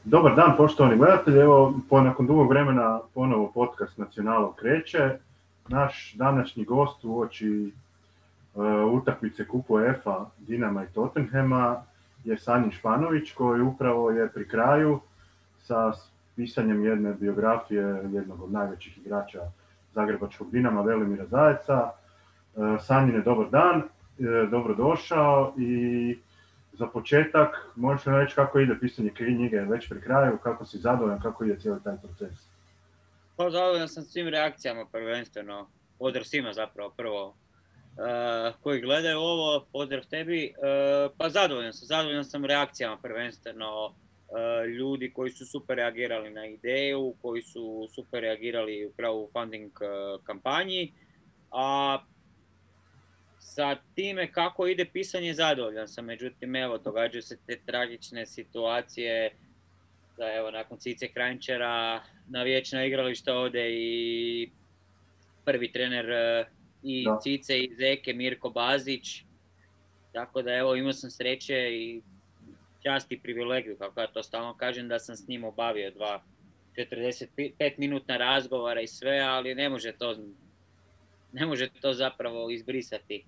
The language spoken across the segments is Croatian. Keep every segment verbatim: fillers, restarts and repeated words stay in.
Dobar dan, poštovani gledatelji. Evo, po nakon dugog vremena ponovo podcast Nacionalov kreće. Naš današnji gost uoči uh, utakmice kupu UEFA Dinama i Tottenhema je Sanjin Španović, koji upravo je pri kraju sa pisanjem jedne biografije jednog od najvećih igrača zagrebačkog Dinama, Velimira Zajeca. Uh, Sanjine, dobar dan, uh, dobrodošao i za početak, možeš li reći kako ide pisanje knjige već pri kraju, kako si zadovoljan, kako ide cijeli taj proces? Pa zadovoljan sam svim reakcijama prvenstveno, pozdrav svima zapravo prvo uh, koji gledaju ovo, pozdrav tebi, uh, pa zadovoljan sam, zadovoljan sam reakcijama prvenstveno uh, ljudi koji su super reagirali na ideju, koji su super reagirali upravo u funding uh, kampanji, a sa time kako ide pisanje zadovoljan sam, međutim evo događaju se te tragične situacije da evo nakon Cice Kranjčara na vječno igralište ode i prvi trener i Da. Cice i Zeke Mirko Bazić, tako da evo imao sam sreće i čast i privilegiju, kako ja to stalno kažem, da sam s njim obavio dva četrdeset pet minutna razgovara i sve, ali ne može to ne može to zapravo izbrisati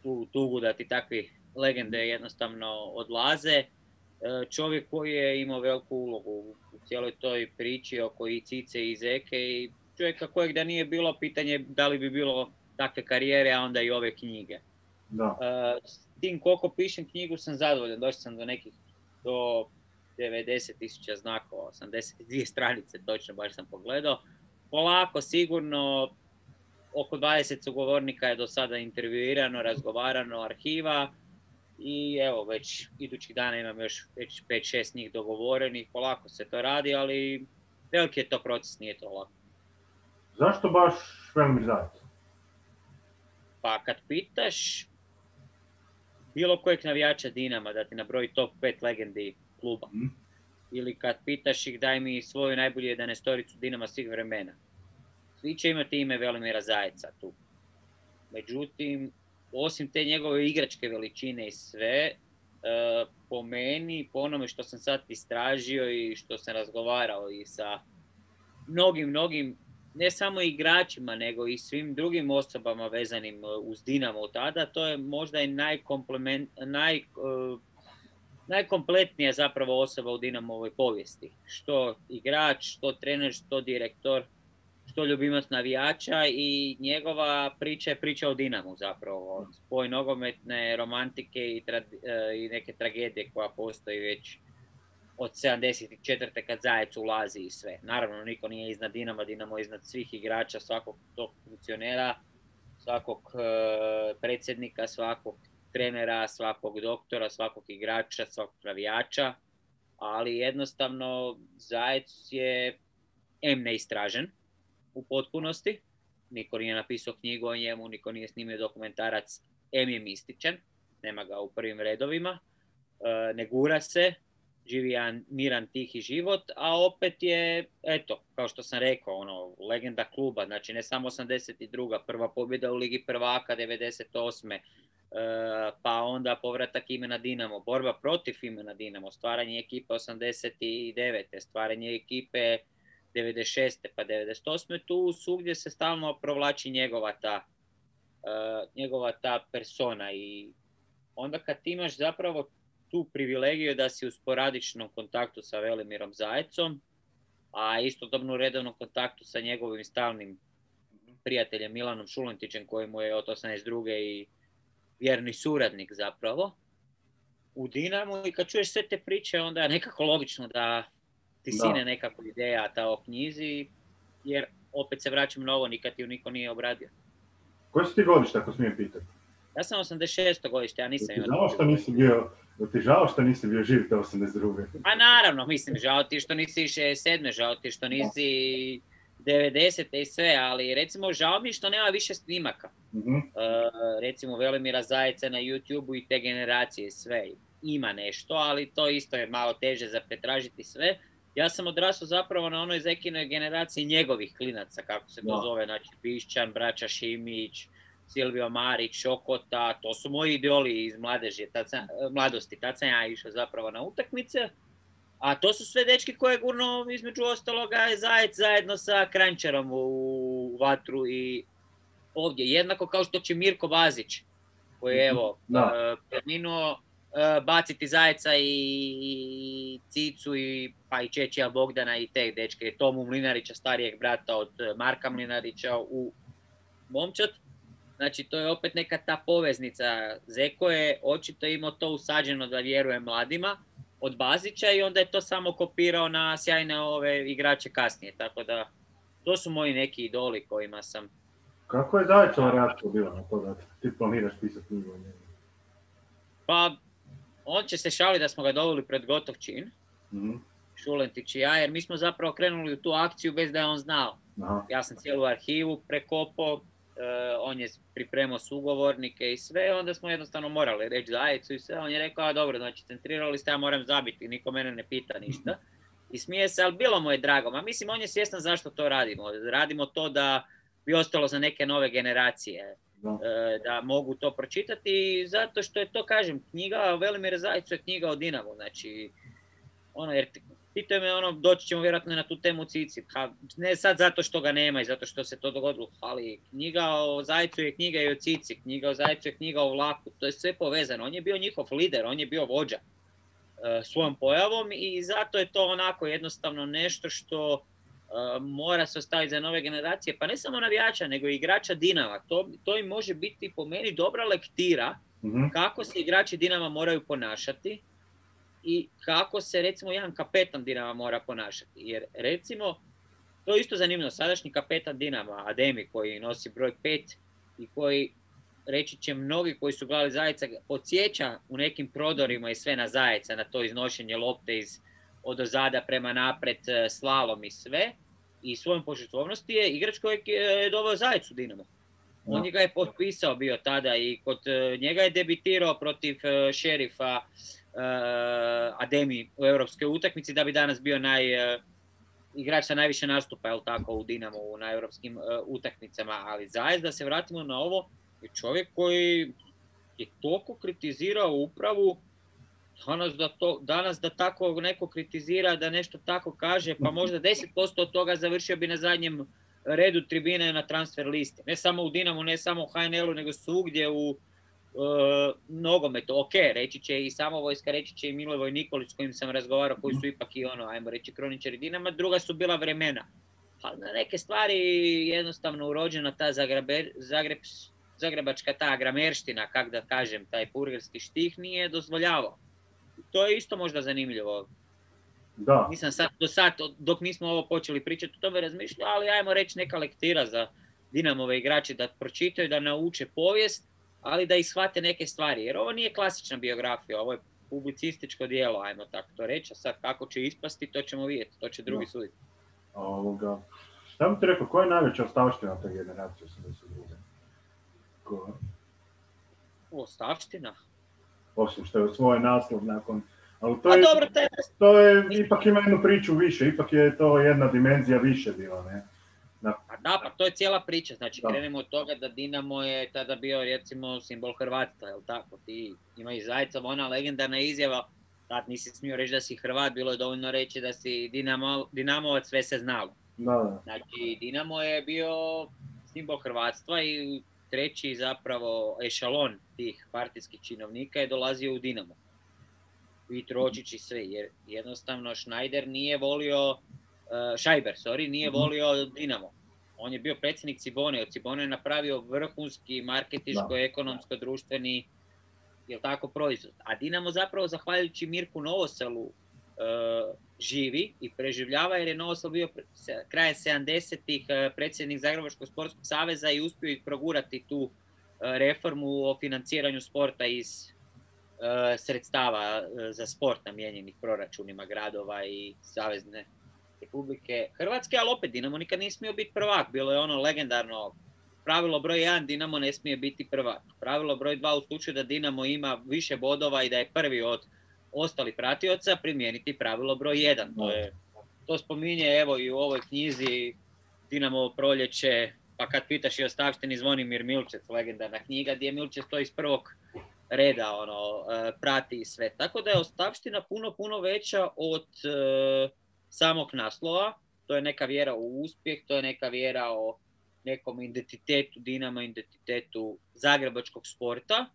tu tugu da ti takvi legende jednostavno odlaze. Čovjek koji je imao veliku ulogu u cijeloj toj priči oko i Cice i Zeke i čovjeka kojeg da nije bilo, pitanje da li bi bilo takve karijere, a onda i ove knjige. Da. S tim koliko pišem knjigu sam zadovoljan, došao sam do nekih do devedeset tisuća znakova, osamdeset dvije stranice točno, baš sam pogledao. Polako, sigurno, oko dvadeset sugovornika je do sada intervjuirano, razgovarano, arhiva. I evo, već idućih dana imam još već pet šest njih dogovorenih, polako se to radi, ali veliki je to proces, nije to lako. Zašto baš Velimir Zajec? Pa kad pitaš bilo kojeg navijača Dinama da ti nabroji top pet legendi kluba, mm. ili kad pitaš ih daj mi svoju najbolju jedanaestoricu Dinama svih vremena, svi će imati ime Velimira Zajeca tu. Međutim, osim te njegove igračke veličine i sve, po meni, po onome što sam sad istražio i što sam razgovarao i sa mnogim, mnogim, ne samo igračima, nego i svim drugim osobama vezanim uz Dinamo tada, to je možda i naj, najkompletnija zapravo osoba u Dinamovoj povijesti. Što igrač, što trener, što direktor, što ljubimac navijača i njegova priča je priča o Dinamu zapravo. Spoj nogometne romantike i, tra, i neke tragedije koja postoji već od sedamdeset četvrte kad Zajec ulazi i sve. Naravno, niko nije iznad Dinama, Dinamo je iznad svih igrača, svakog tog funkcionera, svakog uh, predsjednika, svakog trenera, svakog doktora, svakog igrača, svakog navijača, ali jednostavno Zajec je em neistražen u potpunosti, niko nije napisao knjigu o njemu, niko nije snimio dokumentarac, em je mističan, nema ga u prvim redovima, e, ne gura se, živi jedan miran, tihi život, a opet je, eto, kao što sam rekao, ono, legenda kluba, znači ne samo osamdeset druga prva pobjeda u Ligi prvaka, devedeset osme E, pa onda povratak imena Dinamo, borba protiv imena Dinamo, stvaranje ekipe osamdeset devete stvaranje ekipe devedeset šeste pa devedeset osme tu svugdje se stalno provlači njegova ta, uh, njegova ta persona i onda kad imaš zapravo tu privilegiju da si u sporadičnom kontaktu sa Velimirom Zajecom, a istodobno u redovnom kontaktu sa njegovim stalnim prijateljem Milanom Šulentićem koji mu je od osamdeset druge i vjerni suradnik zapravo u Dinamu i kad čuješ sve te priče onda je nekako logično da ti sine nekako ideja ta o knjizi, jer opet se vraćam na ovo, nikad ju niko nije obradio. Koje si ti godište, ako smijem pitati? Ja sam osamdeset šesto godište, ja nisam imao... Žao što nisi bio, ti žao što nisi bio živ te osamdeset druge Pa naravno, mislim, žao ti što nisi šezdeset sedme žao ti što nisi devedesete i sve, ali recimo žao mi što nema više snimaka. Mm-hmm. Uh, recimo Velimira Zajeca na YouTubeu i te generacije sve. Ima nešto, ali to isto je malo teže za pretražiti sve. Ja sam odrastao zapravo na onoj Zekinoj generaciji njegovih klinaca, kako se to no. zove, znači Pišćan, braća Šimić, Silvio Marić, Šokota, to su moji idoli iz mladeži, tad sam, mladosti, tad sam ja išao zapravo na utakmice. A to su sve dečki koje gurno između ostaloga je Zajec zajedno sa Kranjčarom u vatru i ovdje. Jednako kao što će Mirko Bazić, koji je evo uh, preminuo, uh, baciti Zajeca i Cicu i pa i Čečija Bogdana i te dečke. Tomu Mlinarića, starijeg brata od Marka Mlinarića u momčad. Znači, to je opet neka ta poveznica. Zeko je očito imao to usađeno da vjeruje mladima od Bazića i onda je to samo kopirao na sjajne ove igrače kasnije. Tako da, to su moji neki idoli kojima sam... Kako je Zaječova reakcija bila na to da ti planiraš pisati knjigu o njemu? Pa, on će se šaliti da smo ga doveli pred gotov čin, mm-hmm. Šulentić i ja, jer mi smo zapravo krenuli u tu akciju bez da je on znao. Aha. Ja sam cijelu arhivu prekopao, uh, on je pripremao sugovornike i sve, onda smo jednostavno morali reći Zajecu i sve. On je rekao, a dobro, znači centrirali ste, ja moram zabiti, niko mene ne pita ništa. I smije se, ali bilo mu je drago. Ma mislim, on je svjestan zašto to radimo. Radimo to da bi ostalo za neke nove generacije, da, da mogu to pročitati, zato što je to, kažem, knjiga o Velimir Zajcu je knjiga o Dinamu, znači, ono, jer pitaju me, ono, doći ćemo vjerojatno na tu temu Cici, ha, ne sad zato što ga nema i zato što se to dogodilo, ali knjiga o Zajcu je knjiga i o Cici, knjiga o Zajcu je knjiga o Vlaku, to je sve povezano, on je bio njihov lider, on je bio vođa uh, svojom pojavom i zato je to onako jednostavno nešto što Uh, mora se ostaviti za nove generacije, pa ne samo navijača, nego i igrača Dinama. To, to im može biti po meni dobra lektira mm-hmm. kako se igrači Dinama moraju ponašati i kako se, recimo, jedan kapetan Dinama mora ponašati. Jer, recimo, to je isto zanimljivo, sadašnji kapetan Dinama, Ademi, koji nosi broj pet i koji, reći će mnogi koji su gledali Zajeca, podsjeća u nekim prodorima i sve na Zajeca, na to iznošenje lopte iz od ozada prema napred, slalom i sve, i svojom požrtvovnosti je igrač kojeg je doveo Zajec u Dinamo. On no. ga je potpisao bio tada i kod njega je debitirao protiv Šerifa uh, Ademi u europskoj utakmici da bi danas bio naj, uh, igrač sa najviše nastupa, jel tako, u Dinamo na europskim uh, utakmicama. Ali Zajec, da se vratimo na ovo, je čovjek koji je toliko kritizirao upravu. Danas da, to, danas da tako neko kritizira, da nešto tako kaže, pa možda deset posto od toga završio bi na zadnjem redu tribine na transfer listi. Ne samo u Dinamu, ne samo u H N L-u, nego svugdje u uh, nogometu. Ok, reći će i Samovojska, reći će i Milivoj Nikolić s kojim sam razgovarao, koji su ipak i ono, ajmo reći, kroničari Dinama, druga su bila vremena. Ali na neke stvari jednostavno urođena ta Zagrebe, Zagreb, zagrebačka ta gramerština, kak da kažem, taj purgerski štih nije dozvoljavao. To je isto možda zanimljivo. Da. Nisam sad, do sad, dok nismo ovo počeli pričati, o tome razmišljao, ali ajmo reći neka lektira za Dinamove igrače da pročitaju, da nauče povijest, ali da ih shvate neke stvari. Jer ovo nije klasična biografija, ovo je publicističko djelo, ajmo tako to reći. A sad kako će ispasti, to ćemo vidjeti, to će drugi da. suditi. Ovoga. Šta bi ti rekao, koja je najveća ostavština te generacije osamdeset druge? Ko... Ostavština? Osim što je svoj naslov nakon... Ali to je, dobro, te... to je, ipak ima jednu priču više, ipak je to jedna dimenzija više bila, ne? Da, pa, da, pa to je cijela priča, znači da. Krenemo od toga da Dinamo je tada bio, recimo, simbol Hrvatstva, jel tako? Ti ima i Zajca, ona legendarna izjava, tad nisi smio reći da si Hrvat, bilo je dovoljno reći da si Dinamo, Dinamovac, sve se znalo. Da, da. Znači, Dinamo je bio simbol Hrvatstva i treći zapravo ešalon tih partijskih činovnika je dolazio u Dinamo. I Tročić i sve, jer jednostavno Schneider nije volio, uh, Scheiber, sorry, nije volio Dinamo. On je bio predsjednik Cibone, od Cibone je napravio vrhunski marketinško-ekonomsko-društveni, jel tako, proizvod. A Dinamo zapravo, zahvaljujući Mirku Novoselu, uh, živi i preživljava, jer je Novosel bio krajem sedamdesetih uh, predsjednik Zagrebačkog sportskog saveza i uspio ih progurati tu uh, reformu o financiranju sporta iz sredstava za sport namijenjenih proračunima gradova i Savezne Republike Hrvatske, ali opet Dinamo nikad nije smio biti prvak. Bilo je ono legendarno pravilo broj jedan, Dinamo ne smije biti prvak. Pravilo broj dva, u slučaju da Dinamo ima više bodova i da je prvi od ostalih pratioca, primijeniti pravilo broj jedan. To, je, to spominje evo i u ovoj knjizi Dinamo proljeće, pa kad pitaš i ostavštini Zvonimir Milčec, legendarna knjiga, gdje Milčec stoji iz prvog reda ono, prati i sve. Tako da je ostavština puno, puno veća od uh, samog naslova. To je neka vjera u uspjeh, to je neka vjera o nekom identitetu Dinama, identitetu zagrebačkog sporta.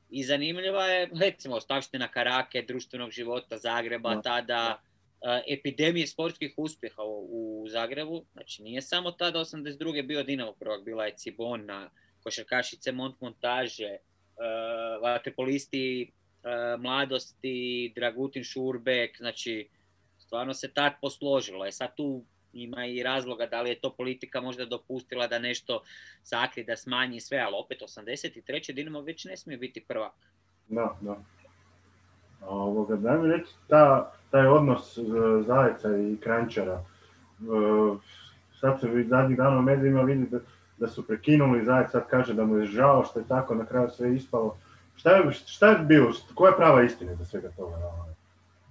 I zanimljiva je, recimo, ostavština Karake, društvenog života Zagreba, tada uh, epidemije sportskih uspjeha u, u Zagrebu. Znači, nije samo tada osamdeset druge bio Dinamo prvak, bila je Cibona, košarkašice Montmontaže, uh, vaterpolisti uh, mladosti, Dragutin Šurbek, znači, stvarno se tad posložilo. Je sad tu ima i razloga da li je to politika možda dopustila da nešto sakri, da smanji sve, ali opet osamdeset treće Dinamo već ne smije biti prvak. Da, da. Ovoga, daj mi reći, ta, taj odnos uh, Zajca i Kranjčara. Uh, sad se zadnjih dana u medijima vidi da, da su prekinuli, Zajec sad kaže da mu je žao što je tako na kraju sve ispalo. Šta je, šta je bilo, koja je prava istina za svega toga?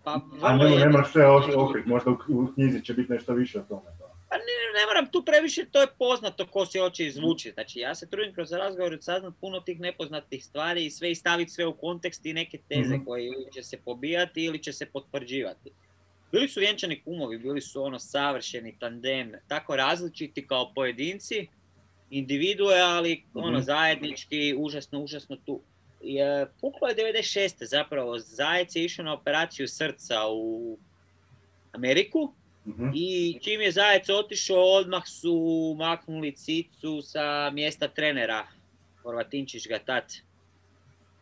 Pa, A ne, ne moraš sve okriti, možda u, u knjizi će biti nešto više od tome. Pa ne, ne moram tu previše, to je poznato ko se hoće izvući. Znači, ja se trudim kroz razgovor saznat puno tih nepoznatih stvari i sve i staviti sve u kontekst i neke teze mm-hmm. koje ili će se pobijati ili će se potvrđivati. Bili su vjenčani kumovi, bili su ono savršeni tandem, tako različiti kao pojedinci, individue, ali mm-hmm. ono zajednički, užasno, užasno tu. Je, puklo je devedeset šeste zapravo, Zajec je išao na operaciju srca u Ameriku. Mm-hmm. I čim je Zajec otišao, odmah su maknuli Cicu sa mjesta trenera. Horvatinčić ga tad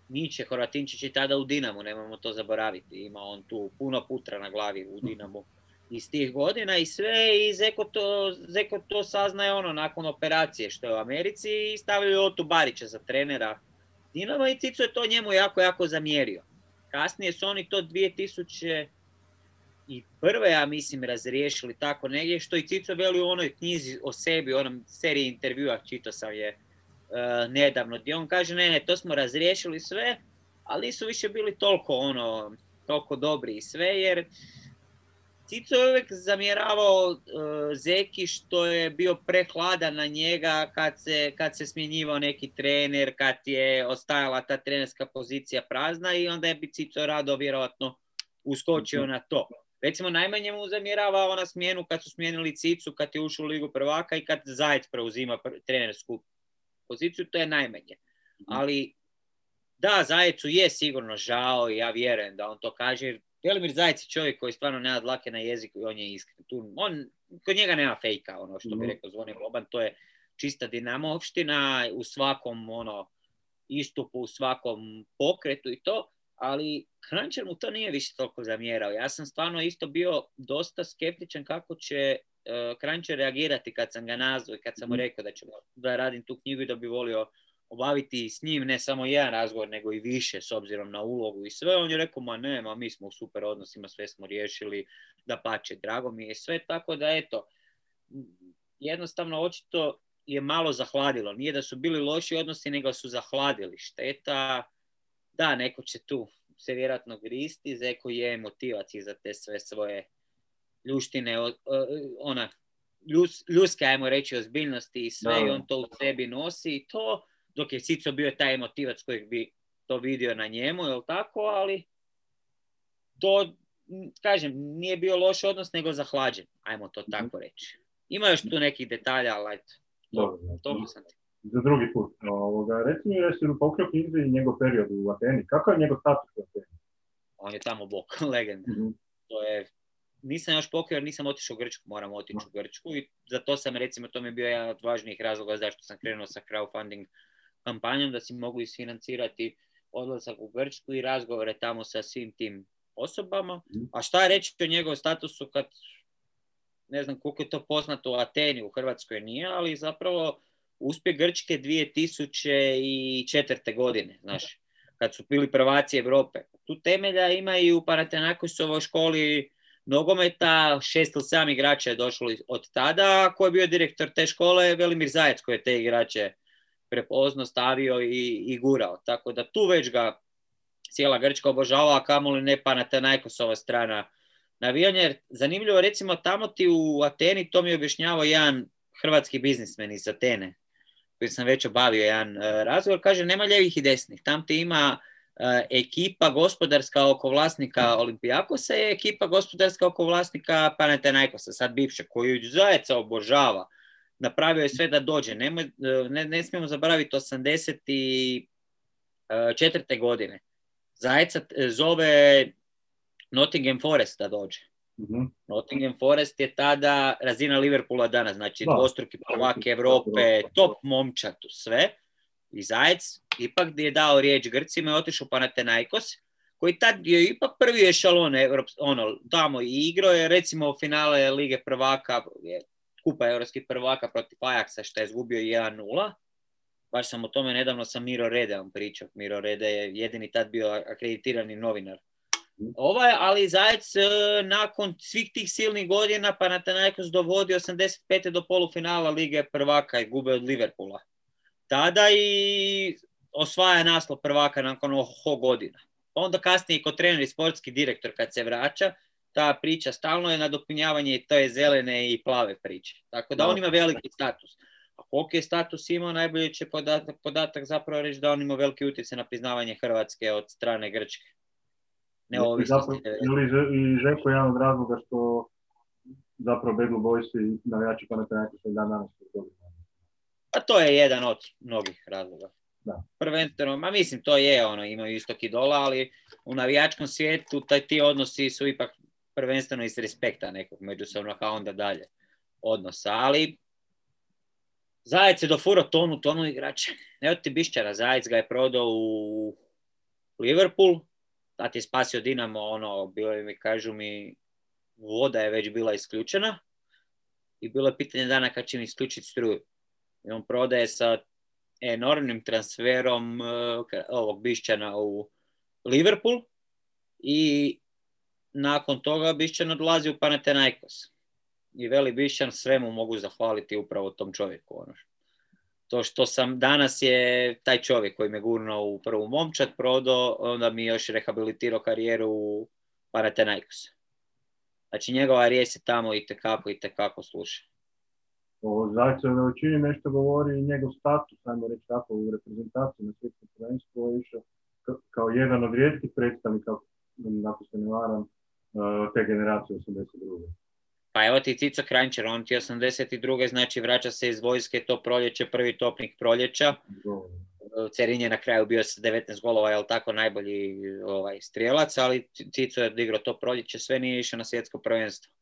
niče, Horvatinčić je tada u Dinamu, nemojmo to zaboraviti. Ima on tu puno putra na glavi u Dinamu iz tih godina i sve. I Zeko to, Zeko to saznaje ono nakon operacije što je u Americi i stavio Otu Barića za trenera Dinama i Cico je to njemu jako, jako zamjerio. Kasnije su oni to dvije tisuće i prve, ja mislim, razriješili tako negdje, što i Cico veli u onoj knjizi o sebi, u onom seriji intervjua, čitao sam je uh, nedavno, gdje on kaže, ne, ne, to smo razriješili sve, ali nisu više bili toliko, ono, toliko dobri i sve, jer Cico je uvijek zamjeravao uh, Zeki što je bio prehladan na njega kad se, kad se smjenjivao neki trener, kad je ostajala ta trenerska pozicija prazna i onda je bi Cico rado vjerojatno uskočio na to. Recimo, najmanje mu zamjerava ona smjenu kad su smijenili Cicu, kad je ušao u Ligu prvaka i kad Zajec preuzima trenersku poziciju, to je najmanje. Ali, da, Zajecu je sigurno žao i ja vjerujem da on to kaže. Velimir Zajec je čovjek koji stvarno nema dlake na jeziku i on je iskren. Tu, on, kod njega nema fejka, ono što bi rekao Zvone Boban, to je čista dinamovština u svakom ono, istupu, u svakom pokretu i to. Ali Kranjčar mu to nije više toliko zamjerao. Ja sam stvarno isto bio dosta skeptičan kako će uh, Kranjčar reagirati kad sam ga nazvao i kad sam mu rekao da ću da radim tu knjigu i da bi volio obaviti s njim ne samo jedan razgovor, nego i više s obzirom na ulogu i sve. On je rekao, ma ne, ma mi smo u super odnosima, sve smo riješili, da pače, drago mi je sve. Tako da, eto, jednostavno očito je malo zahladilo. Nije da su bili loši odnosi, nego su zahladili. Šteta. Da, neko će tu se vjerojatno gristi, Zeko je motivac za te sve svoje ljuštine, ona, ljus, ljuske, ajmo reći, ozbiljnosti i sve, no. I on to u sebi nosi i to, dok je Cico bio taj motivac kojeg bi to vidio na njemu, jel tako, ali to, kažem, nije bio loš odnos, nego zahlađen, ajmo to tako reći. Ima još tu nekih detalja, ali eto, to, to sam ti. Za drugi put. Ovoga, reci mi, jesi u pokrio knjizi i njegov period u Ateni. Kako je njegov status u Ateni? On je tamo bok, legenda. Mm-hmm. To je, nisam još pokrio, jer nisam otišao u Grčku, moram otići mm-hmm. u Grčku i za to sam, recimo, to mi je bio jedan od važnijih razloga zašto sam krenuo sa crowdfunding kampanjom, da si mogu isfinancirati odlazak u Grčku i razgovore tamo sa svim tim osobama. Mm-hmm. A šta je reći o njegovom statusu kad, ne znam koliko je to poznato u Ateni, u Hrvatskoj nije, ali zapravo uspjeh Grčke dvije tisuće četvrte godine, znaš, kad su bili prvaci Europe. Tu temelja ima i u Panathinaikosovoj školi nogometa, šest ili sedam igrača je došlo od tada, ko je bio direktor te škole, Velimir Zajec, koji je te igrače prepoznao, stavio i, i gurao. Tako da tu već ga cijela Grčka obožava, a kamoli ne Panathinaikosova strana navijanja. Jer zanimljivo, recimo, tamo ti u Ateni, to mi je objašnjavao jedan hrvatski biznismen iz Atene, koji sam već obavio jedan uh, razgovor, kaže, nema ljevih i desnih. Tam ti ima ekipa gospodarska oko vlasnika Olympiakosa je ekipa gospodarska oko vlasnika Panathinaikosa, sad bivše, koju zajeca obožava. Napravio je sve da dođe. Nemoj, ne, ne smijemo zaboraviti osamdeset četvrte godine. Zajeca zove Nottingham Forest da dođe. Mm-hmm. Nottingham Forest je tada razina Liverpoola danas, znači da. Dvostruki prvak Europe, top momčatu, sve. I Zajec ipak je dao riječ Grcima i otišao Panathinaikos, koji tad je ipak prvi ešalon, ono, tamo i igrao je recimo finale Lige prvaka, kupa europskih prvaka protiv Ajaxa, što je izgubio jedan nula. Baš sam o tome nedavno sa Miro Redeom pričao. Miro Rede je jedini tad bio akreditirani novinar. Ovaj, ali Zajec nakon svih tih silnih godina Panathinaikos dovodi osamdeset pete do polufinala Lige prvaka i gube od Liverpoola. Tada i osvaja naslov prvaka nakon oho godina. Onda kasnije i kod trener i sportski direktor kad se vraća, ta priča stalno je nadopunjavanje te zelene i plave priče. Tako da on ima veliki status. A koliko je status imao, najbolje će podatak, podatak zapravo reći da on ima veliki utjecaj na priznavanje Hrvatske od strane Grčke. Neovisnosti. Ili i Željko je jedan od razloga što zapravo Bad Blue Boys i navijači Panathinaikosa i dan danas dobili. Pa to je jedan od mnogih razloga. Da. Prvenstveno, ma mislim to je ono, imaju istok i dola, ali u navijačkom svijetu taj, ti odnosi su ipak prvenstveno iz respekta nekog međusobnog, a onda dalje odnosa. Ali Zajec je dofurao tonu, tonu igrača. Evo ti Bišćara, Zajec ga je prodao u Liverpool, tad je spasio Dinamo, ono, bilo mi, kažu mi, voda je već bila isključena i bilo je pitanje dana kad će mi isključiti struju. I on prodaje sa enormnim transferom uh, ovog Bišćana u Liverpool i nakon toga Bišćan odlazi u Panathinaikos. I veli Bišćan, svemu mogu zahvaliti upravo tom čovjeku. Ono. To što sam danas je taj čovjek koji me gurnuo u prvu momčad prodao, onda mi još rehabilitirao karijeru u Panathinaikos. Znači njegova riječ se tamo itekako, itekako sluša. O Zajcevoj veličini nešto govori i njegov status, ajmo reći tako, u reprezentaciji na svjetskom prvenstvu je išao kao jedan od rijetkih predstavnika, ako se ne varam, te generacije osamdeset druge. Pa evo ti Cico Kranjčar, on ti osamdeset druge znači vraća se iz vojske, to proljeće, prvi topnik proljeća. Cerin je na kraju bio sa devetnaest golova, je li tako, najbolji ovaj, strijelac, ali Cico je odigrao to proljeće, sve nije išao na svjetsko prvenstvo.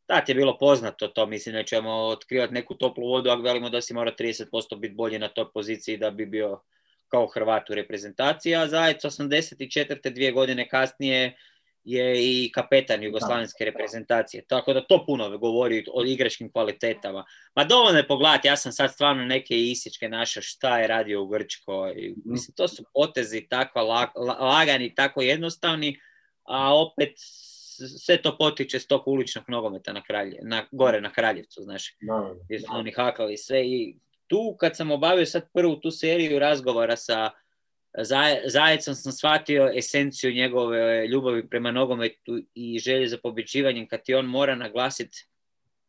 Tad je bilo poznato to, mislim, nećemo otkrivati neku toplu vodu, ako velimo da si mora trideset posto biti bolji na toj poziciji da bi bio kao Hrvat u reprezentaciji, a Zajec osamdeset četvrte dvije godine kasnije je i kapetan jugoslavenske reprezentacije. Tako da to puno govori o igračkim kvalitetama. Ma dovoljno je pogledati, ja sam sad stvarno neke isječke našao šta je radio u Grčkoj. Mislim, to su potezi takva lag, lagani, tako jednostavni, a opet sve to potiče s tog uličnog nogometa na kralje, na, gore na Kraljevcu, znaš, no, gdje su oni hakali sve. I tu kad sam obavio sad prvu tu seriju razgovora sa Zajecom sam shvatio esenciju njegove ljubavi prema nogometu i želje za pobjeđivanjem, kad ti on mora naglasiti,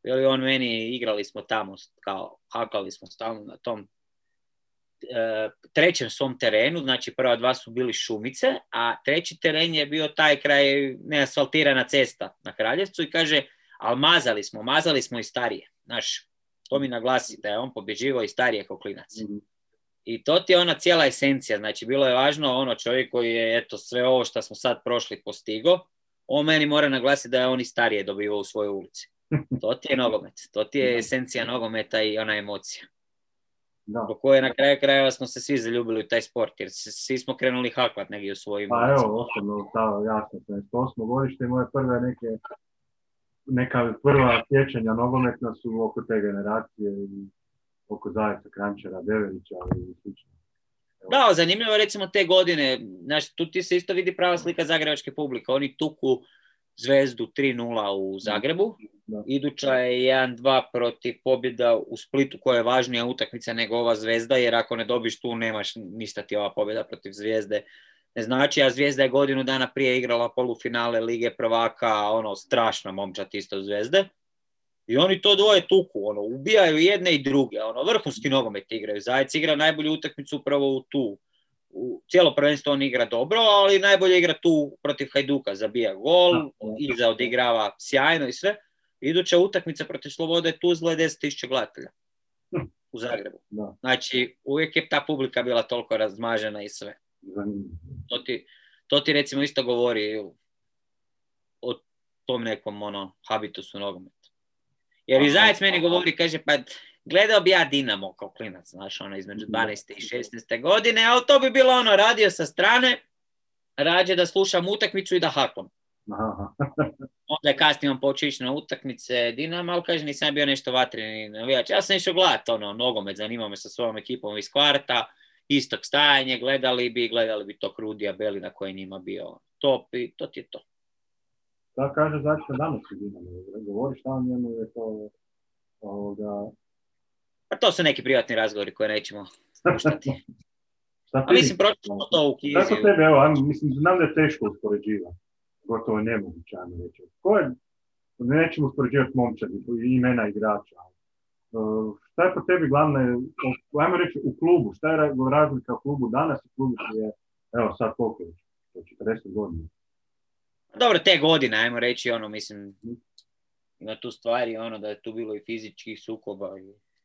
ili on meni, igrali smo tamo, kao hakali smo stalno na tom e, trećem svom terenu, znači prva dva su bili šumice, a treći teren je bio taj kraj neasfaltirana cesta na Kraljevcu i kaže, ali mazali smo, mazali smo i starije, znaš, to mi naglasi da je on pobjeđivao i starije kao klinac. Mm-hmm. I to ti je ona cijela esencija, znači bilo je važno ono čovjek koji je eto sve ovo što smo sad prošli postigo, on meni mora naglasiti da je on i starije dobivao u svojoj ulici. To ti je nogomet, to ti je esencija nogometa i ona emocija. Da. Po koje na kraju krajeva smo se svi zaljubili u taj sport, jer svi smo krenuli hakvat negdje u svojim pa ulicama. Evo, osobno, da, jasno, osmo godište i moje prve neke, neka prva sjećanja nogometna su oko te generacije i oko Zajeca, Kranjčara, Deverića i slično. Da, zanimljivo recimo te godine, znaš, tu ti se isto vidi prava slika zagrebačke publike. Oni tuku Zvezdu tri nula u Zagrebu, da. Iduća je jedan dva protiv pobjeda u Splitu, koja je važnija utakmica nego ova Zvezda, jer ako ne dobiš tu, nemaš ništa ti ova pobjeda protiv Zvijezde. Ne znači, a Zvijezda je godinu dana prije igrala polufinale Lige prvaka, ono, strašna momčad isto Zvezde. I oni to dvoje tuku, ono, ubijaju jedne i druge, ono, vrhunski nogomet igraju. Zajec igra najbolju utakmicu upravo u tu, u cijelo prvenstvo on igra dobro, ali najbolje igra tu protiv Hajduka, zabija gol, iza odigrava sjajno i sve. Iduća utakmica protiv Slobode Tuzla je deset tisuća gledatelja u Zagrebu. Da. Znači, uvijek je ta publika bila toliko razmažena i sve. To ti, to ti recimo isto govori o tom nekom ono, habitusu nogometa. Jer i Zajec meni govori, kaže, pa gledao bi ja Dinamo kao klinac, znaš, ono, između dvanaeste i šesnaeste godine, ali to bi bilo ono, radio sa strane, rađe da slušam utakmicu i da haklam. Onda je kasnije on počeo ići na utakmice Dinama, ali kaže, nisam bio nešto vatreni navijač. Ja sam išao gledati ono, nogomet, zanimao me sa svojom ekipom iz kvarta, istog stajanje, gledali bi, gledali bi tog Rudija Belina koji njima bio top i to ti je to. Da kaže zašto danas je Dinamo, govori šta o njemu je to ovoga... Pa to su neki privatni razgovori koje nećemo spuštati. A mislim, pročitamo to u knjizi. Kako tebe, evo, mislim, znam da je teško uspoređivati. Gotovo nemoguće, ajmo reći. Ko je, nećemo uspoređivati momčadi, imena igrača. Uh, šta je po tebi glavne, ajmo reći, u klubu? Šta je razlika u klubu danas i klubu koji je, evo sad koliko je, četrdeset godina? Dobro, te godine, ajmo reći, ono, mislim, ima tu stvari, ono, da je tu bilo i fizičkih sukoba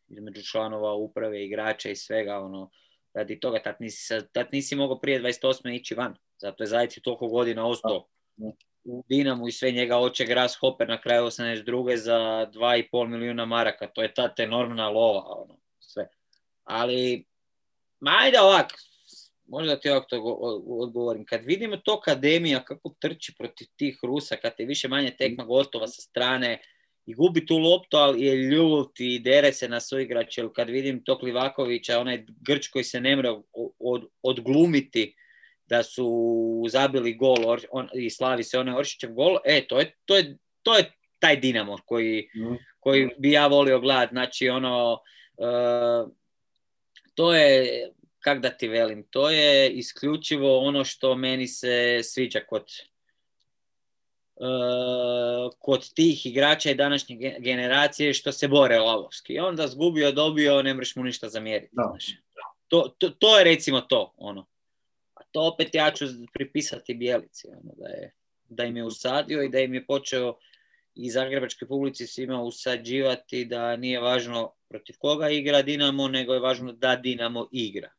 između članova uprave, igrača i svega, ono, radi toga, tad nisi, tad nisi mogao prije dvadeset osme ići van. Zato je Zajec toliko godina ostao u Dinamu i sve njega oče Grasshopper na kraju osamdeset druge za dva i pol milijuna maraka. To je ta enormna lova, ono, sve. Ali, ma ajde ovak, možda ti ovak to odgovorim. Kad vidimo to akademija kako trči protiv tih Rusa, kad je više manje tekma gostova sa strane i gubi tu loptu, ali je ljut i dere se na svoj igrač. Kad vidim tog Livakovića, onaj Grč koji se ne mre od, odglumiti da su zabili gol on, i slavi se onaj Oršićev gol, e, to je, to je, to je taj Dinamo koji, mm. koji bi ja volio gledati. Znači, ono, uh, to je, kak da ti velim, to je isključivo ono što meni se sviđa kod Uh, kod tih igrača i današnje generacije što se bore lavovski. I onda zgubio, dobio, ne mreš mu ništa zamjeriti. No. To, to, to je recimo to. Ono. A to opet ja ću pripisati Bjelici. Ono, da, je, da im je usadio i da im je počeo i zagrebačkoj publici svima usađivati da nije važno protiv koga igra Dinamo, nego je važno da Dinamo igra.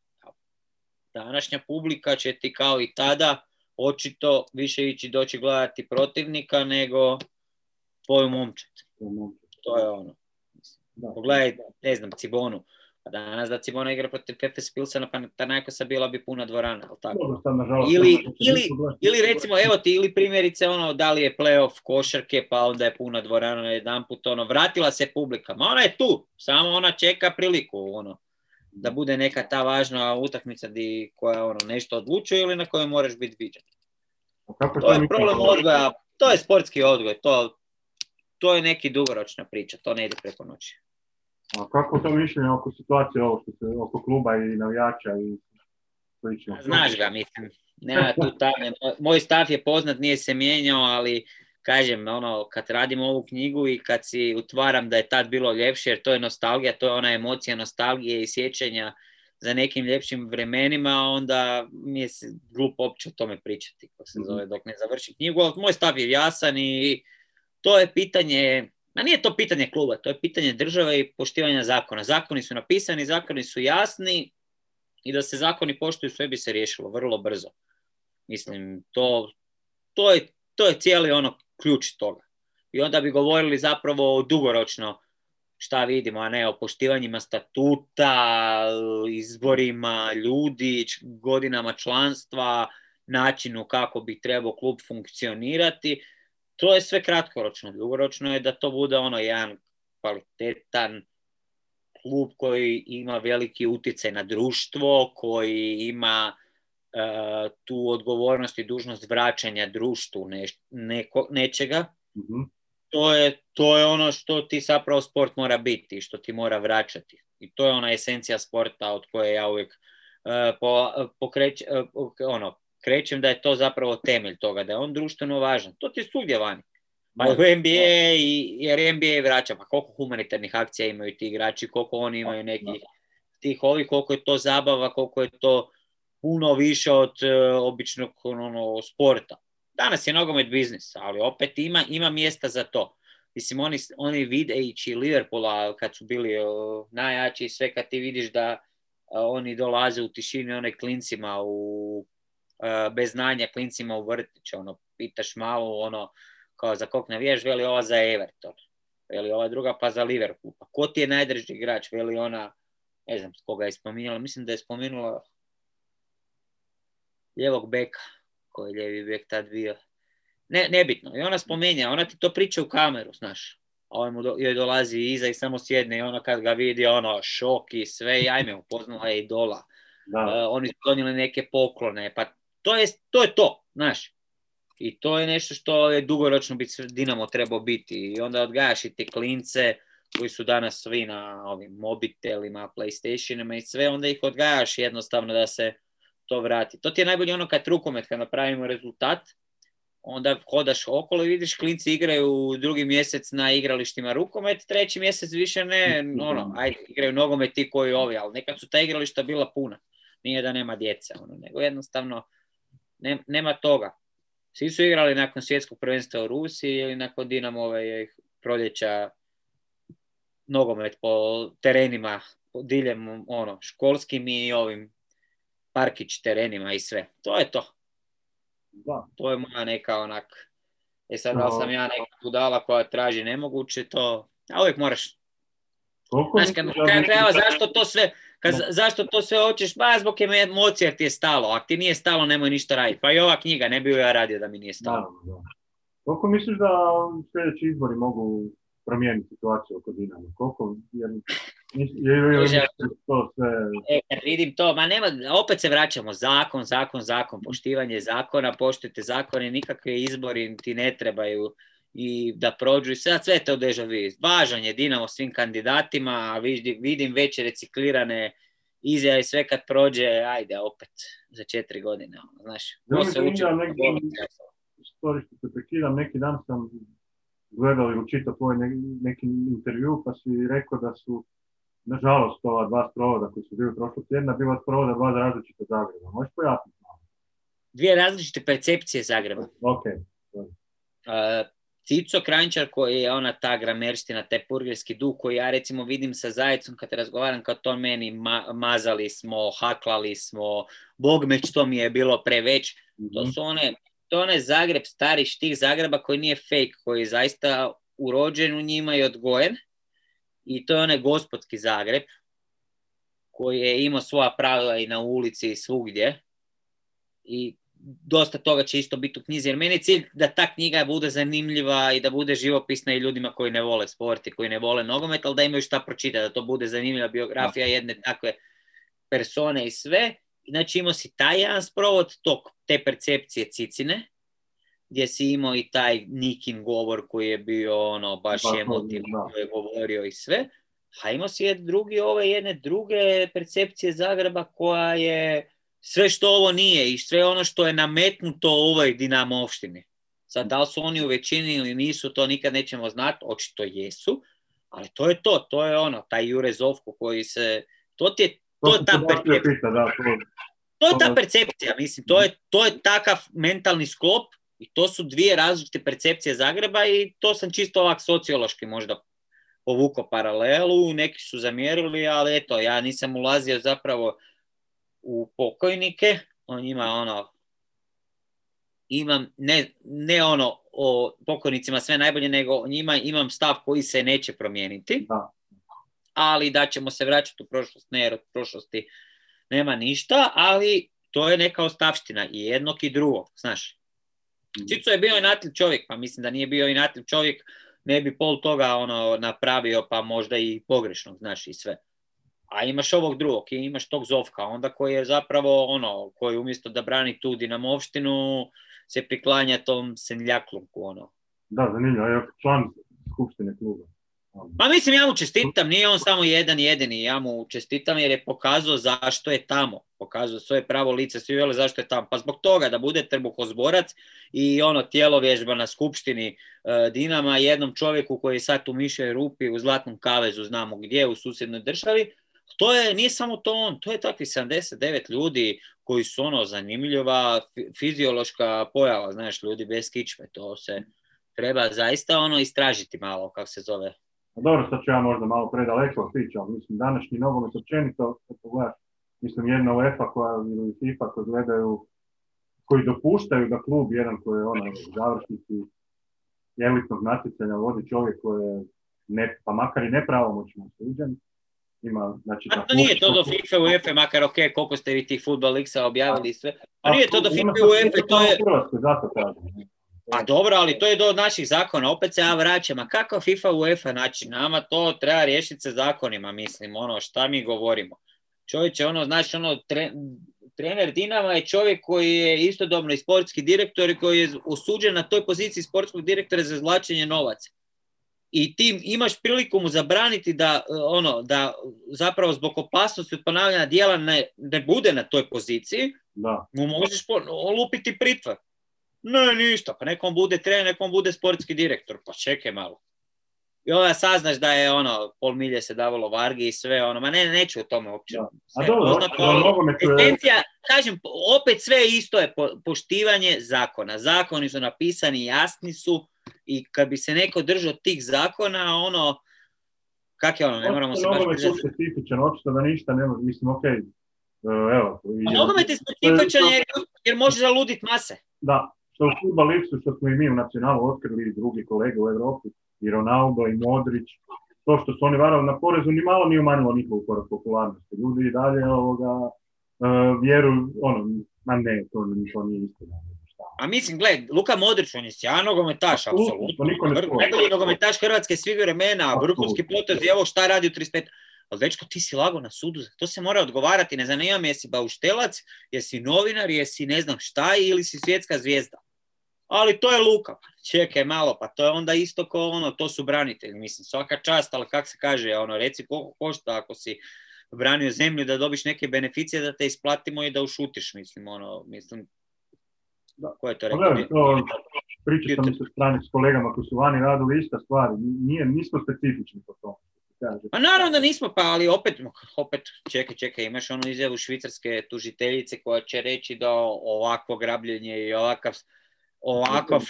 Današnja publika će ti kao i tada očito više ići doći gledati protivnika nego tvoju momčad. To je ono. Pogledaj, ne znam, Cibonu. Pa danas da Cibona igra protiv Efes Pilsena, pa Panathinaikosa bila bi puna dvorana. Tako? Ili, ili, ili recimo, evo ti, ili primjerice ono, da li je play-off košarke, pa onda je puna dvorana na jedan put, ono, vratila se publika. Ma ona je tu, samo ona čeka priliku, ono, da bude neka ta važna utakmica di, koja ono, nešto odlučuje ili na kojoj moraš biti viđen. To je problem odgoja, to je sportski odgoj, to, to je neki dugoročna priča, to ne ide preko noći. A kako to mišljenje oko situacije ovo što se oko kluba i navijača i slično? Znaš ga, mislim, nema tu tajne. Moj stav je poznat, nije se mijenjao, ali kažem, ono, kad radim ovu knjigu i kad si utvaram da je tad bilo ljepše, jer to je nostalgija, to je ona emocija nostalgije i sjećanja za nekim ljepšim vremenima, onda mi je glupo uopće o tome pričati, kako se zove, dok ne završi knjigu. Ali moj stav je jasan i to je pitanje, a nije to pitanje kluba, to je pitanje države i poštivanja zakona. Zakoni su napisani, zakoni su jasni i da se zakoni poštuju, sve bi se riješilo vrlo brzo. Mislim, to, to, je, to je cijeli ono ključ toga. I onda bi govorili zapravo dugoročno šta vidimo, a ne o poštivanjima statuta, izborima ljudi, godinama članstva, načinu kako bi trebao klub funkcionirati. To je sve kratkoročno. Dugoročno je da to bude ono jedan kvalitetan klub koji ima veliki utjecaj na društvo, koji ima uh, tu odgovornost i dužnost vraćanja društvu ne, neko, nečega. Mm-hmm. To je, to je ono što ti zapravo sport mora biti, što ti mora vraćati. I to je ona esencija sporta od koje ja uvijek uh, po, pokrećem, uh, ono, krećem da je to zapravo temelj toga, da je on društveno važan. To ti je svugdje vani. Pa u N B A, i, jer N B A vraća, pa koliko humanitarnih akcija imaju ti igrači, koliko oni imaju nekih tih ovih, koliko je to zabava, koliko je to puno više od uh, običnog ono, sporta. Danas je nogomet biznis, ali opet ima, ima mjesta za to. Mislim, oni, oni videći Liverpoola kad su bili uh, najjači, sve kad ti vidiš da uh, oni dolaze u tišini one klincima u, uh, bez znanja klincima u vrtić, ono, pitaš malo, ono, kao za kog navijaš, veli ova za Everton, veli ova druga pa za Liverpool, pa ko ti je najdrži igrač, veli ona, ne znam koga je spominjala, mislim da je spomenula ljevog beka, koji je ljevi bek tad bio. Ne, nebitno. I ona spomenja, ona ti to priča u kameru, znaš. A on mu do, joj dolazi iza i samo sjedne i ono kad ga vidi, ono, šok i sve, i ajme, upoznala je idola. Uh, oni su donijeli neke poklone, pa to je to, je to, znaš. I to je nešto što je dugoročno biti Dinamo trebao biti. I onda odgajaš i te klince koji su danas svi na ovim mobitelima, PlayStationima i sve, onda ih odgajaš jednostavno da se to vrati. To ti je najbolje ono kad rukomet, kad napravimo rezultat, onda hodaš okolo i vidiš klinci igraju drugi mjesec na igralištima rukomet, treći mjesec više ne, ono, ajde, igraju nogomet ti koji ovi, ali nekad su ta igrališta bila puna. Nije da nema djece, ono, nego jednostavno ne, nema toga. Svi su igrali nakon svjetskog prvenstva u Rusiji ili nakon Dinamove proljeća nogomet po terenima, po diljem, ono, školskim i ovim parkić terenima i sve. To je to. Da. To je moja neka onak, e sad da li sam ja neka budala koja traži nemoguće, to, a uvijek moraš. Znaš, kad kada treba, zašto to sve, kad, zašto to sve hoćeš, ba zbog emocija jer ti je stalo, ako ti nije stalo nemoj ništa raditi, pa i ova knjiga, ne bi ju ja radio da mi nije stalo. Da, da. Koliko misliš da sljedeći izbori mogu promijeniti situaciju oko Dinama? Koliko, jer, jer, jer, jer to sve... E, kad vidim to, ma nema, opet se vraćamo, zakon, zakon, zakon, poštivanje zakona, poštujte zakone, nikakve izbori ti ne trebaju i da prođu i sve, sve te odežavi. Važan je Dinamo svim kandidatima, a vidim, vidim već reciklirane izjave i sve kad prođe, ajde, opet, za četiri godine, znaš, to se uči. Story što se prekidam, neki dan sam gledao i učitao tvoj ne, neki intervju, pa si rekao da su, nažalost, ova dva sprovoda koji su bili prošlog tjedna, bila sprovoda dva različita Zagreba. Možeš pojasniti malo? Dvije različite percepcije Zagreba. Ok. Uh, Cico Kranjčar koji je ona ta gramerstina, taj purgerski duh koji ja recimo vidim sa Zajecom kad razgovaram kao to meni ma- mazali smo, haklali smo, bogme što mi je bilo preveć. Mm-hmm. To su one... To je onaj Zagreb, stari štih Zagreba koji nije fake, koji je zaista urođen u njima i odgojen. I to je onaj gospodski Zagreb koji je imao svoja pravila i na ulici i svugdje. I dosta toga će isto biti u knjizi. Jer meni je cilj da ta knjiga bude zanimljiva i da bude živopisna i ljudima koji ne vole sport i koji ne vole nogomet, ali da imaju šta pročitati, da to bude zanimljiva biografija jedne takve persone i sve. Znači imao si taj jedan sprovod tog, te percepcije Cicine, gdje si imao i taj Nikin govor koji je bio ono baš emotivni, koji je govorio i sve, a imao si jedan drugi, ove jedne druge percepcije Zagreba koja je sve što ovo nije i sve ono što je nametnuto u ovoj Dinamovštini. Sad, da li su oni u većini ili nisu, to nikad nećemo znati, očito jesu, ali to je to, to je ono, taj Jure Zovko koji se, to ti je To je ta percepcija. Da, to, to je ta percepcija, mislim, to je, to je takav mentalni sklop i to su dvije različite percepcije Zagreba i to sam čisto ovak sociološki možda povukao paralelu, neki su zamjerili, ali eto, ja nisam ulazio zapravo u pokojnike, on ima ono, imam, ne, ne ono o pokojnicima sve najbolje, nego o njima imam stav koji se neće promijeniti. Da. Ali da ćemo se vraćati u prošlost, ne, jer od prošlosti nema ništa, ali to je neka ostavština i jednog i drugog, znaš. Cico je bio inatljiv čovjek, pa mislim da nije bio inatljiv čovjek, ne bi pol toga ono napravio, pa možda i pogrešno, znaš, i sve. A imaš ovog drugog i imaš tog Zovka, onda koji je zapravo ono, koji umjesto da brani tu Dinamovštinu, se priklanja tom senljaklunku, ono. Da, zanimljivo, je član skupštine kluba. Pa mislim, ja mu čestitam, nije on samo jedan jedini, ja mu čestitam jer je pokazao zašto je tamo, pokazao svoje pravo lice, svi vele zašto je tamo, pa zbog toga da bude trbuhozborac i ono tjelovježba na skupštini uh, Dinama jednom čovjeku koji je sad u mišoj rupi u Zlatnom kavezu, znamo gdje, u susjednoj državi, To je, nije samo to on, to je takvih sedamdeset devet ljudi koji su ono zanimljiva fiziološka pojava, znaš, ljudi bez kičme, to se treba zaista ono istražiti malo, kako se zove. A dobro, sad ću ja možda malo predaleko otići, ali mislim, današnji nogomet općenito, kad pogledaš, mislim, jedna UEFA koja, ili FIFA koji gledaju, koji dopuštaju da klub jedan koji je ono, završnici elitnog natjecanja vodi čovjek koji je, ne, pa makar i nepravomoćno osuđen, ima, znači... A to nije to do FIFA i UEFA, makar ok, koliko ste vi tih Football Leaguesa objavili i sve. To nije to do FIFA i UEFA, to je... Zato kažem. Pa dobro, ali to je do naših zakona, opet se ja vraćam, a kako FIFA i UEFA, znači nama to treba riješiti se zakonima, mislim, ono, šta mi govorimo. Čovječe, ono, znači, ono, tre, trener Dinama je čovjek koji je istodobno i sportski direktor i koji je osuđen na toj poziciji sportskog direktora za izvlačenje novaca. I ti imaš priliku mu zabraniti da, ono, da zapravo zbog opasnosti od ponavljanja djela ne, ne bude na toj poziciji, da. Mu možeš olupiti pritvor. Ne, ništa, pa nekom bude trener, nekom bude sportski direktor, pa čekaj malo. I onda saznaš da je ono, pol milje se davalo Vargi i sve ono, ma ne, neću o tome uopće. A dobro, esencija, kažem, opet sve isto je po, poštivanje zakona. Zakoni su napisani, jasni su i kad bi se neko držao tih zakona, ono, kak je ono, ne moramo se baš držati. Nogomet je specifičan, očito da ništa ne može, mislim, okej, okay. Evo. A nogomet je specifičan jer, jer može zaluditi mase. Da, što u Football Leaguesu, što smo i mi u nacionalu otkrili i drugi kolege u Europi, i Ronaldo, i Modrić, to što su oni varali na porezu, ni malo nije umanjilo njihovu popularnosti. Ljudi i dalje ovoga, uh, vjeruju, ono, ma ne, to, to nije istina. A mislim, gled, Luka Modrić, on je sjajan nogometaš, apsolutno. Najbolji nogometaš Hrvatske svih vremena, vrhunski potez, evo šta radi u trideset pet. Ali dečko, ti si lago na sudu, to se mora odgovarati, ne zanima me jesi bauštelac, jesi novinar, jesi ne znam šta ili si svjetska zvijezda. Ali to je Luka, čekaj malo, pa to je onda isto ko ono, to su branitelji, mislim, svaka čast, ali kak se kaže, ono, reci koliko košta ako si branio zemlju da dobiš neke beneficije da te isplatimo i da ušutiš, mislim, ono, mislim, da. Ko je to rekao? Gledaj, to pričao sam se strani s kolegama koji su vani radili ista stvar, nije, nismo specifični po tomu. Pa naravno da nismo, pa ali opet, opet čekaj, čekaj, imaš onu izjavu švicarske tužiteljice koja će reći da ovakvo grabljenje i ovakav, ovakav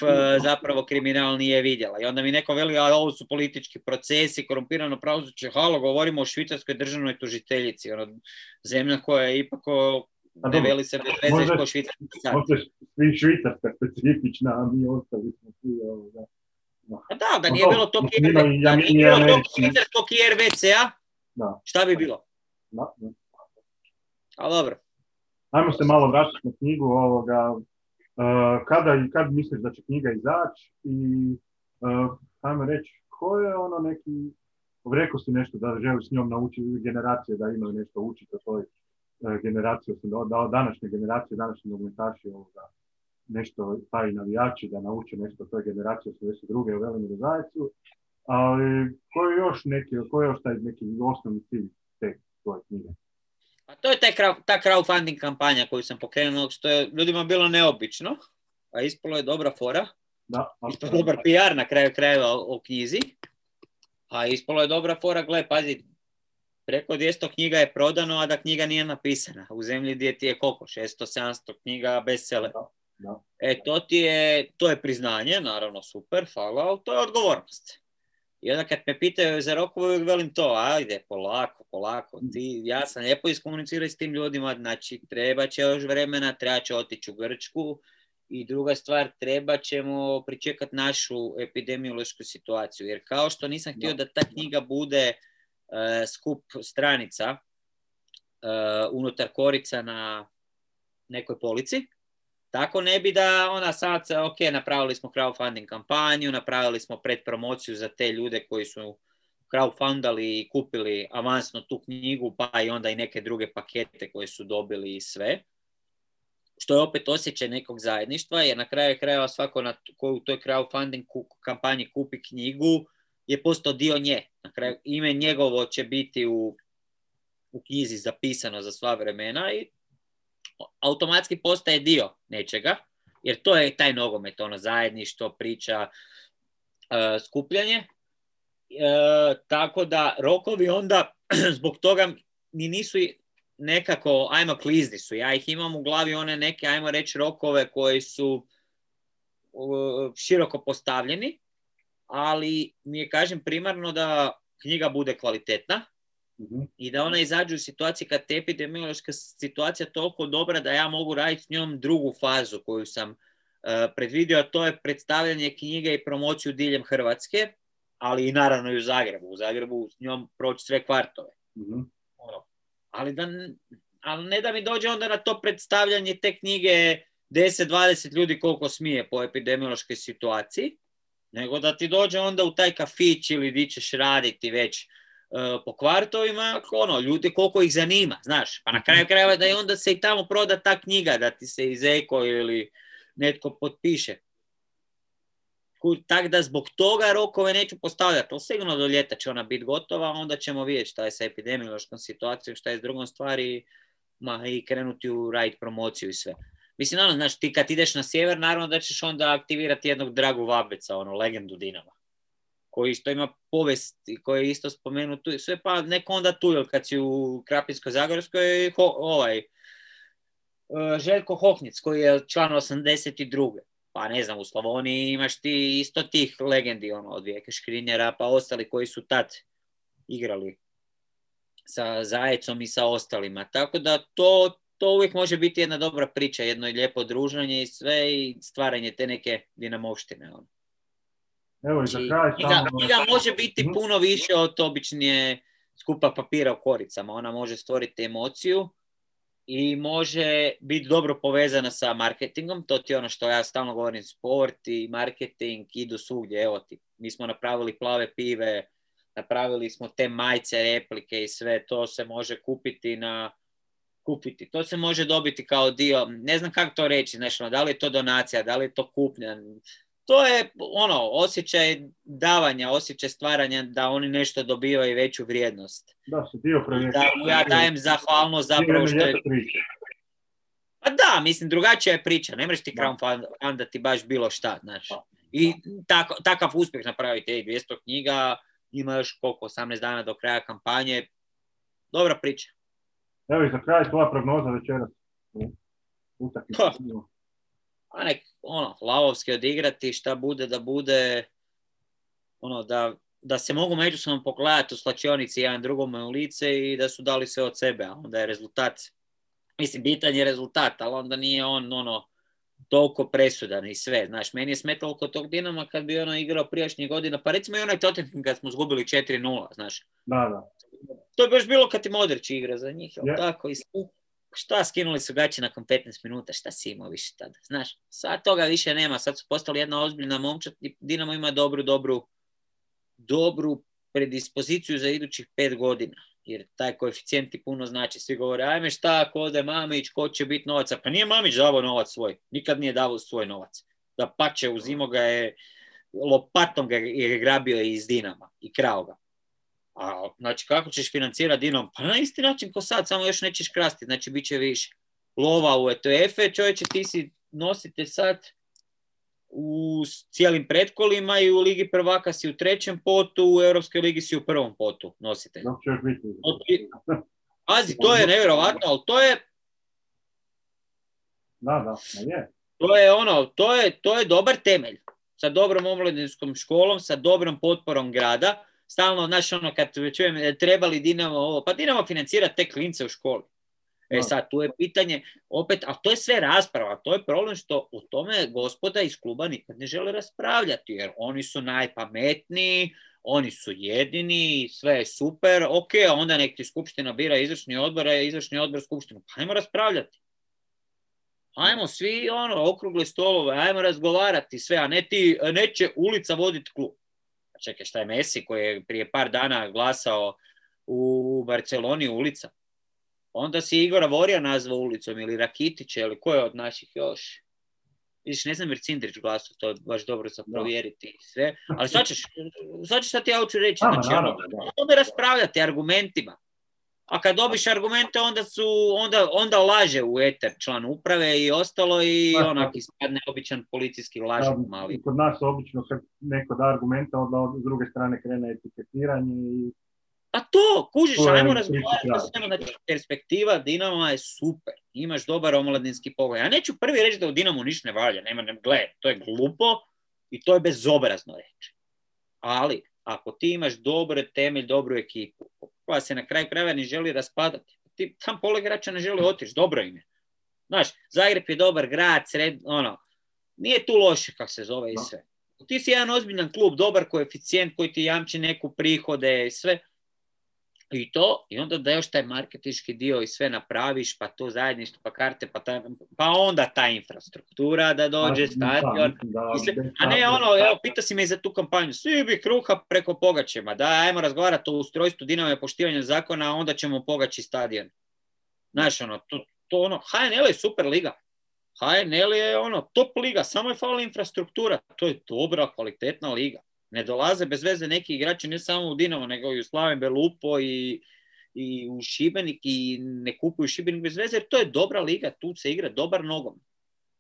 zapravo kriminal nije vidjela. I onda mi neko veli, a ovo su politički procesi, korumpirano pravosuđe, halo, govorimo o švicarskoj državnoj tužiteljici, ono, zemlja koja je ipak ne veli se bez veze kao švicarski sad. Možda svi švicarska specifična, a mi ostali smo svi ovoga. Pa da, da nije bilo tog švicarskog I R V C-a, šta bi bilo? Da, da. A dobro. Ajmo se malo vratiti na knjigu ovoga. Uh, kada i kad misliš da će knjiga izaći i uh, ajmo reći, ko je ono neki, rekao si nešto da želi s njom naučiti generacije da imaju nešto učiti o toj uh, generaciji, da današnje generacije, današnji nogometaši ovoga, nešto, pa i navijači da nauče nešto o toj generaciji osamdeset druge u Velimiru Zajcu, ali koji je još neki, koji je još taj neki osnovni cilj te tvoje knjige? A to je taj, ta crowdfunding kampanja koju sam pokrenuo, što je ljudima bilo neobično, a ispalo je dobra fora, da, ispalo je dobar P R na kraju krajeva o, o knjizi, a ispalo je dobra fora, gle, pazi, preko dvjesto knjiga je prodano, a da knjiga nije napisana, u zemlji gdje ti je koliko, šesto sedamsto knjiga bestseller. Da, da. E, to ti je, to je priznanje, naravno super, hvala, ali to je odgovornost. I onda kad me pitaju za rokove, uvijek velim to, ajde, polako, polako, ti, ja sam lijepo iskomunicirao s tim ljudima, znači treba će još vremena, treba će otići u Grčku i druga stvar, treba ćemo pričekati našu epidemiološku situaciju, jer kao što nisam htio da ta knjiga bude uh, skup stranica uh, unutar korica na nekoj polici, tako ne bi da ona sad, ok, napravili smo crowdfunding kampanju, napravili smo predpromociju za te ljude koji su crowdfundali i kupili avansno tu knjigu, pa i onda i neke druge pakete koje su dobili i sve. Što je opet osjećaj nekog zajedništva, jer na kraju krajeva svako na, koji u toj crowdfunding kampanji kupi knjigu je postao dio nje. Na kraju ime njegovo će biti u, u knjizi zapisano za sva vremena i automatski postaje dio nečega, jer to je taj nogomet, ono zajedništvo, priča, uh, skupljanje. Uh, tako da rokovi onda, zbog toga ni nisu nekako, ajmo klizni su. Ja ih imam u glavi one neke, ajmo reći, rokove koji su uh, široko postavljeni, ali mi je, kažem, primarno da knjiga bude kvalitetna mm-hmm. i da ona izađe u situaciji kad te epidemiološka situacija toliko dobra da ja mogu raditi s njom drugu fazu koju sam uh, predvidio, a to je predstavljanje knjige i promociju diljem Hrvatske, ali i naravno i u Zagrebu. U Zagrebu s njom proći sve kvartove. Mm-hmm. Ono. Ali, da, ali ne da mi dođe onda na to predstavljanje te knjige deset dvadeset ljudi koliko smije po epidemiološkoj situaciji, nego da ti dođe onda u taj kafić ili di ćeš raditi već uh, po kvartovima, ono, ljudi koliko ih zanima, znaš, pa na kraju krajeva da i onda se i tamo proda ta knjiga, da ti se iz Eko ili netko potpiše. Tako da zbog toga rokove neću postavljati, ali sigurno do ljeta će ona biti gotova, onda ćemo vidjeti šta je sa epidemiološkom situacijom, šta je s drugom stvari, ma, i krenuti u raditi promociju i sve. Mislim, naravno, znaš, ti kad ideš na sjever, naravno da ćeš onda aktivirati jednog Dragu Vabeca, ono, legendu Dinama, koji isto ima povijest i koji je isto spomenut tu, sve pa neko onda tu, jer kad si u Krapinsko-Zagorskoj, ho, ovaj, Željko Hohnjec, koji je član osamdeset druge Pa ne znam, u Slavoniji imaš ti isto tih legendi, ono, od Vijeke Škrinjera, pa ostali koji su tad igrali sa Zajecom i sa ostalima. Tako da to, to uvijek može biti jedna dobra priča, jedno lijepo druženje i sve i stvaranje te neke dinamovštine. Ono. Evo i za kraj knjiga, knjiga može biti puno više od običnije skupa papira u koricama. Ona može stvoriti emociju i može biti dobro povezana sa marketingom. To ti je ono što ja stalno govorim, sport i marketing idu svugdje. Evo ti, mi smo napravili plave pive, napravili smo te majice, replike i sve, to se može kupiti na kupiti. To se može dobiti kao dio, ne znam kako to reći, znači, da li je to donacija, da li je to kupnja. To je ono, osjećaj davanja, osjećaj stvaranja da oni nešto dobivaju veću vrijednost. Da, se dio projekta. Da mu ja dajem zahvalnost zapravo što je... Pa da, mislim, drugačija je priča. Ne možeš ti crowdfundati baš bilo šta, znaš. I tako, takav uspjeh napraviti, dvjesto knjiga, ima još koliko, osamnaest dana do kraja kampanje. Dobra priča. Evo i za kraj tvoja prognoza večeras. Utakmica. A nek, ono, lavovski odigrati, šta bude da bude, ono, da, da se mogu međusobno pogledati u slačionici jedan drugome u lice i da su dali sve od sebe, a onda je rezultat, mislim, bitan je rezultat, ali onda nije on, ono, toliko presudan i sve, znaš, meni je smetalo kod tog Dinama kad bi ono igrao prijašnjih godina, pa recimo i onaj Tottenham kad smo zgubili četiri nula, znaš. Da, da. To je baš bilo kad i Modrić igra za njih, jel yeah. tako, i šta, skinuli su gaće nakon petnaest minuta, šta si imao više tada, znaš, sad toga više nema, sad su postali jedna ozbiljna momčad i Dinamo ima dobru, dobru, dobru predispoziciju za idućih pet godina, jer taj koeficijent ti puno znači, svi govore, ajme šta, ako ode Mamić, ko će biti novaca, pa nije Mamić davao novac svoj, nikad nije davao svoj novac, da pače, uzimo ga je, lopatom ga je grabio iz Dinama i krao ga. A, znači, kako ćeš financirati Dinamo? Pa na isti način ko sad, samo još nećeš krasti, znači bit će više. Lova u E T F, čovječe, ti si nosite sad u cijelim pretkolima i u Ligi prvaka si u trećem potu, u Europskoj ligi si u prvom potu nosite. Pazi, to je nevjerovatno, ali to je... Da, da, je. To je ono, to je, to je dobar temelj. Sa dobrom omladinskom školom, sa dobrom potporom grada. Stalno, znaš, ono, kad čujem, trebali Dinamo ovo, pa Dinamo financira te klince u školi. E sad, tu je pitanje, opet, a to je sve rasprava, to je problem što o tome gospoda iz kluba nikad ne žele raspravljati, jer oni su najpametniji, oni su jedini, sve je super, ok, a onda nek ti skupština bira izvršni odbor, a izvršni odbor skupštinu, pa ajmo raspravljati. Ajmo svi, ono, okrugle stolove, ajmo razgovarati sve, a ne ti, neće ulica voditi klub. Čekaj, šta je Messi koji je prije par dana glasao u Barceloni ulica? Onda si Igora Vorija nazvao ulicom ili Rakitića ili ko je od naših još? Vidiš, ne znam jer Cindrić glasao, to je baš dobro za provjeriti i sve. Ali sad ćeš, sad ćeš sad ja hoću reći, znači, ono, onda raspravljati argumentima. A kad dobiš argumente, onda su, onda, onda laže u eter član uprave i ostalo i onak ispadne običan policijski lažov mali. Kod nas obično kad neko da argumenta, onda s druge strane krene etiketiranje i Pa to, kužiš, To je ajmo priča razgovarati o kraj. svemu, znači perspektiva Dinama je super, imaš dobar omladinski pogoj. Ja neću prvi reći da u Dinamu ništa ne valja, nema, ne, gle, to je glupo i to je bezobrazno reći. Ali, ako ti imaš dobar temelj, dobru ekipu, koja se na kraju krajeva ne želi raspadati, ti tam pola igrača ne želi otići, dobro im je. Znaš, Zagreb je dobar grad, sred, ono, nije tu loše kako se zove i sve. Ti si jedan ozbiljan klub, dobar koeficijent koji ti jamči neku prihode i sve. I to, i onda da još taj marketinški dio i sve napraviš, pa to zajedništvo, pa karte, pa, ta, pa onda ta infrastruktura da dođe, stadion, da, sve, a ne ono, evo, pita si me i za tu kampanju, svi bi kruha preko Pogačeva, da, ajmo razgovarati o ustrojstvu Dinama i poštivanju zakona, a onda ćemo Pogači stadion. Znaš, ono, to, to ono, H N L je super liga, H N L je ono, top liga, samo je falila infrastruktura, to je dobra, kvalitetna liga. Ne dolaze bez veze neki igrači, ne samo u Dinamo, nego i u Slaven Belupo i, i u Šibenik i ne kupuju Šibenik bez veze, jer to je dobra liga, tu se igra dobar nogom.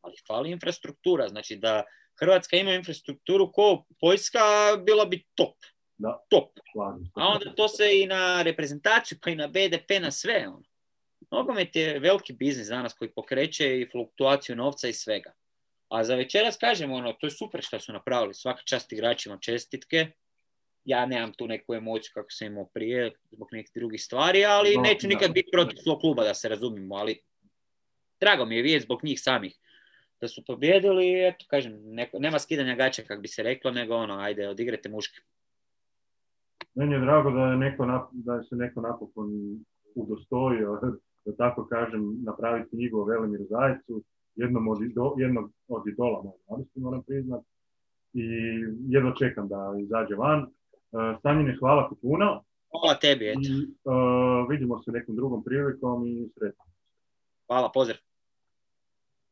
Ali fali infrastruktura, znači da Hrvatska ima infrastrukturu ko Poljska, bila bi top. Da. Top. A onda to se i na reprezentaciju, pa i na B D P, na sve. Ono. Nogomet je veliki biznis danas koji pokreće i fluktuaciju novca i svega. A za večeras kažem, ono, to je super što su napravili. Svaka čast igračima, čestitke. Ja nemam tu neku emociju kako sam imao prije zbog nekih drugih stvari, ali no, neću nikad no, biti protiv svog kluba, da se razumimo. Ali drago mi je vidjeti zbog njih samih da su pobjedili. Eto, kažem, neko, nema skidanja gaća, kako bi se reklo, nego ono, ajde, odigrajte muške. Meni je drago da je, neko, da je se neko napokon udostojio, da tako kažem, napraviti knjigu o Velimiru Zajcu. Jednom od, ido, jednog od idola mogu moram priznat i jedno čekam da izađe van. Uh, Stanjine, hvala ti puno. Hvala tebi, eto. I uh, vidimo se nekom drugom prilikom i sretno. Hvala, pozdrav.